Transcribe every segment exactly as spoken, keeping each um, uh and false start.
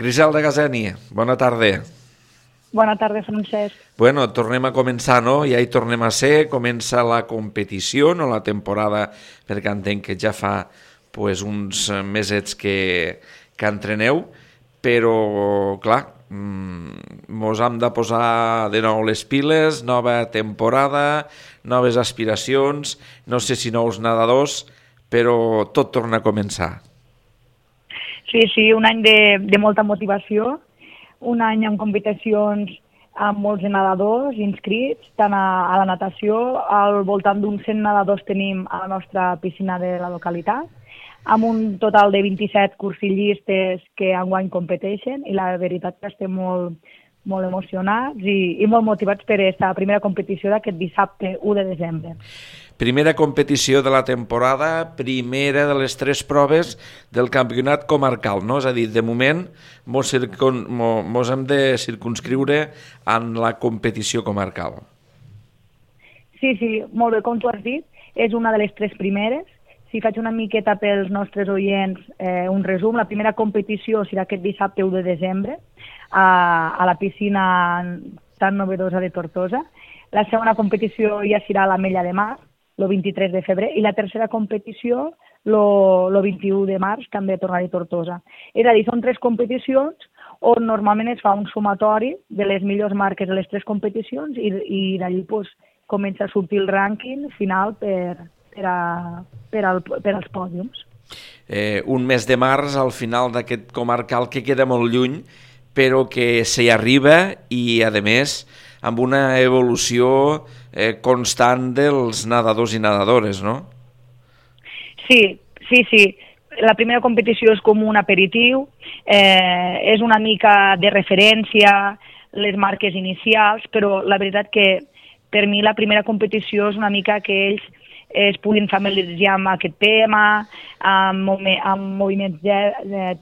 Griselda Gazeni, bona tarda. Bona tarda, Francesc. Bueno, tornem a començar, no? Ja hi tornem a ser, comença la competició, no la temporada, perquè entenc que ja fa pues, uns mesets que, que entreneu, però, clar, mos hem de posar de nou les piles, nova temporada, noves aspiracions, no sé si nous nedadors, però tot torna a començar. Sí, sí, un any de, de molta motivació, un any amb competicions amb molts nedadors inscrits, tant a, a la natació, al voltant d'uns cent nedadors tenim a la nostra piscina de la localitat, amb un total de vint-i-set cursillistes que enguany competeixen, i la veritat que estem molt, molt emocionats i, i molt motivats per aquesta primera competició d'aquest dissabte u de desembre. Primera competició de la temporada, primera de les tres proves del campionat comarcal, no? És a dir, de moment mos, circun, mos hem de circunscriure en la competició comarcal. Sí, sí, molt bé, com tu has dit, és una de les tres primeres. Si faig una miqueta pels nostres oients eh, un resum, la primera competició serà aquest dissabte u de desembre a, a la piscina tan novedosa de Tortosa. La segona competició ja serà a l'Ametlla de Mar, el vint-i-tres de febrer, i la tercera competició el vint-i-u de març, també a tornar a Tortosa. És a dir, són tres competicions on normalment es fa un sumatori de les millors marques de les tres competicions i, i d'allí pues, comença a sortir el rànquing final per, per, a, per, al, per als pòdiums. Eh, un mes de març, al final d'aquest comarcal que queda molt lluny, però que s'hi arriba i, a més, amb una evolució eh, constant dels nedadors i nedadores, no? Sí, sí, sí. La primera competició és com un aperitiu, eh, és una mica de referència, les marques inicials, però la veritat que per mi la primera competició és una mica que ells es puguin familiaritzar amb aquest tema, amb, amb moviments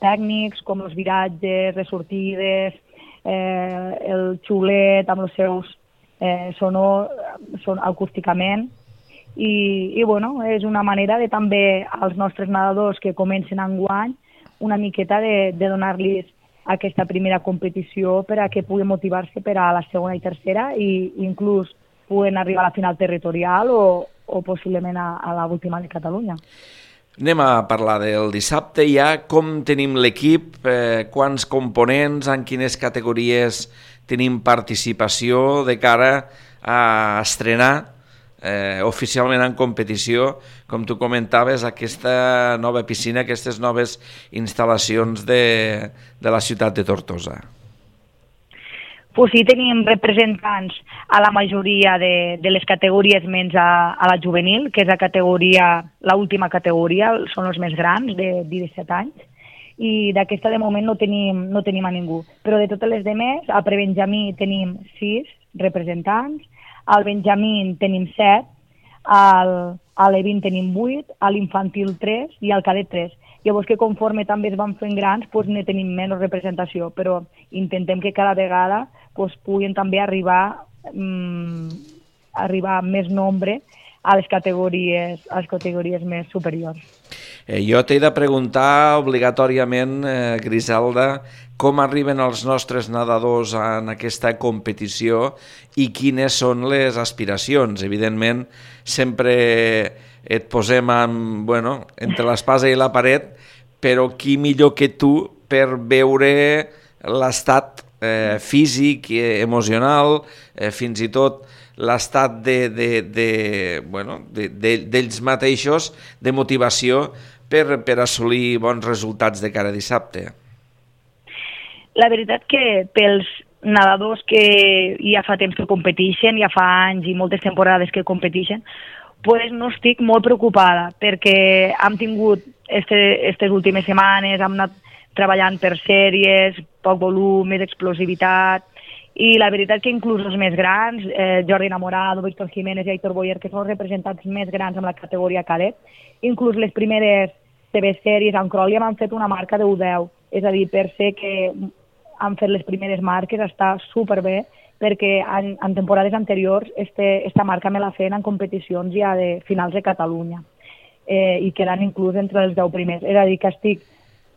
tècnics com els viratges, les sortides, eh, el xulet amb els seus eh, sonor, son acústicament, i, i bueno, és una manera de també als nostres nedadors que comencen enguany una miqueta de, de donar-los aquesta primera competició per a que puguin motivar-se per a la segona i tercera i inclús puguen arribar a la final territorial o, o possiblement a, a l'última de Catalunya. Anem a parlar del dissabte ja, com tenim l'equip, eh, quants components, en quines categories tenim participació de cara a estrenar eh, oficialment en competició, com tu comentaves, aquesta nova piscina, aquestes noves instal·lacions de, de la ciutat de Tortosa. Pues sí, tenim representants a la majoria de, de les categories menys a, a la juvenil, que és la categoria, l'última categoria, són els més grans, de disset anys, i d'aquesta de moment no tenim, no tenim a ningú. Però de totes les demés, a prebenjamí tenim sis representants, al benjamí tenim set, al, a l'E vint tenim vuit, a l'infantil tres i al cadet tres. Llavors que conforme també es van fent grans, doncs ne tenim menys representació, però intentem que cada vegada doncs, puguin també arribar, mm, arribar més nombre a les categories, a les categories més superiors. Eh, jo t'he de preguntar obligatòriament, eh, Griselda, com arriben els nostres nedadors en aquesta competició i quines són les aspiracions. Evidentment, sempre et posem en, bueno, entre l'espasa i la paret, però qui millor que tu per veure l'estat eh, físic, eh, emocional, eh, fins i tot l'estat de, de, de, bueno, de, de, d'ells mateixos, de motivació per, per assolir bons resultats de cara a dissabte. La veritat que pels nedadors que ja fa temps que competeixen, ja fa anys i moltes temporades que competeixen, pues no estic molt preocupada perquè hem tingut aquestes este últimes setmanes, hem anat treballant per sèries, poc volum, més explosivitat, i la veritat que inclús els més grans, eh, Jordi Enamorado, Víctor Jiménez i Aitor Boyer, que són els representants més grans en la categoria cadet, inclús les primeres T V sèries en Cròlia m'han fet una marca de u deu, és a dir, per ser que han fet les primeres marques està superbé, perquè en, en temporades anteriors este, esta marca me la feien en competicions ja de finals de Catalunya eh, i quedant inclús entre els deu primers. És a dir, que estic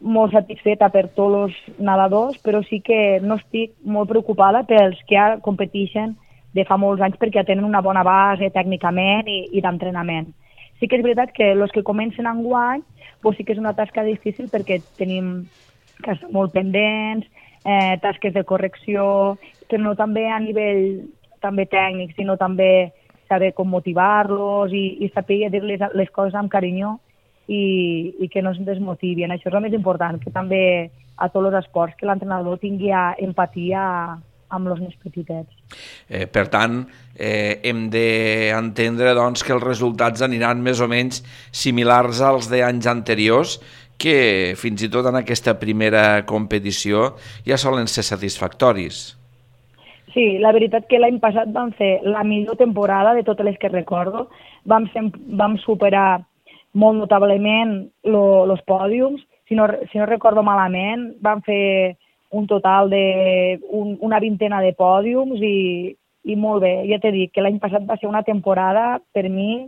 molt satisfeta per tots els nedadors, però sí que no estic molt preocupada pels que ja competeixen de fa molts anys perquè ja tenen una bona base tècnicament i, i d'entrenament. Sí que és veritat que els que comencen enguany doncs sí que és una tasca difícil perquè tenim que estar molt pendents, eh, tasques de correcció, però no també a nivell també tècnic, sinó també saber com motivar-los i, i saber dir-les les coses amb carinyo i, i que no es desmotivin. Això és el més important, que també a tots els esports que l'entrenador tingui empatia amb els més petitets. Eh, per tant, eh, hem d'entendre doncs, que els resultats aniran més o menys similars als d'anys anteriors, que fins i tot en aquesta primera competició ja solen ser satisfactoris. Sí, la veritat que l'any passat vam fer la millor temporada de totes les que recordo. Vam, ser, vam superar molt notablement els pòdiums. Si no, si no recordo malament, vam fer un total de un, una vintena de pòdiums i, i molt bé. Ja t'he dit que l'any passat va ser una temporada, per mi,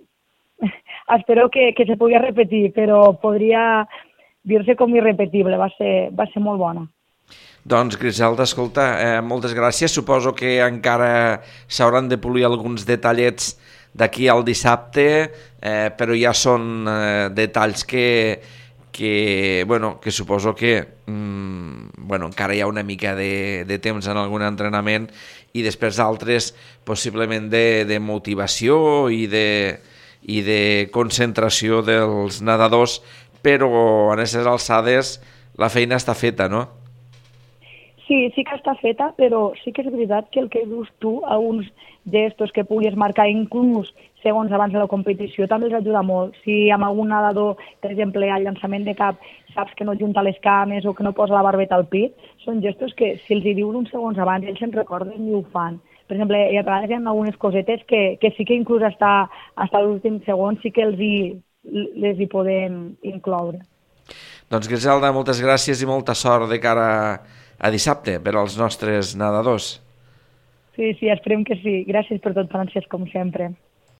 espero que, que se pugui repetir, però podria dir-se com irrepetible, va ser, va ser molt bona. Doncs, Griselda, escolta, eh, moltes gràcies. Suposo que encara s'hauran de polir alguns detallets d'aquí al dissabte, eh, però ja són eh, detalls que, que, bueno, que suposo que mm, bueno, encara hi ha una mica de, de temps en algun entrenament i després altres possiblement de, de motivació i de, i de concentració dels nedadors, però en aquestes alçades la feina està feta, no? Sí, sí que està feta, però sí que és veritat que el que dius tu a uns gestos que puguis marcar inclús segons abans de la competició també els ajuda molt. Si amb algun nedador, per exemple, al llançament de cap, saps que no junta les cames o que no posa la barbeta al pit, són gestos que si els hi dius uns segons abans ells se'n recorden i ho fan. Per exemple, hi ha vegades hi ha algunes cosetes que, que sí que inclús hasta, hasta l'últim segon sí que els hi, les hi podem incloure. Doncs Griselda, moltes gràcies i molta sort de cara a dissabte per als nostres nedadors. Sí, sí, esperem que sí. Gràcies per tot, Francesc, com sempre.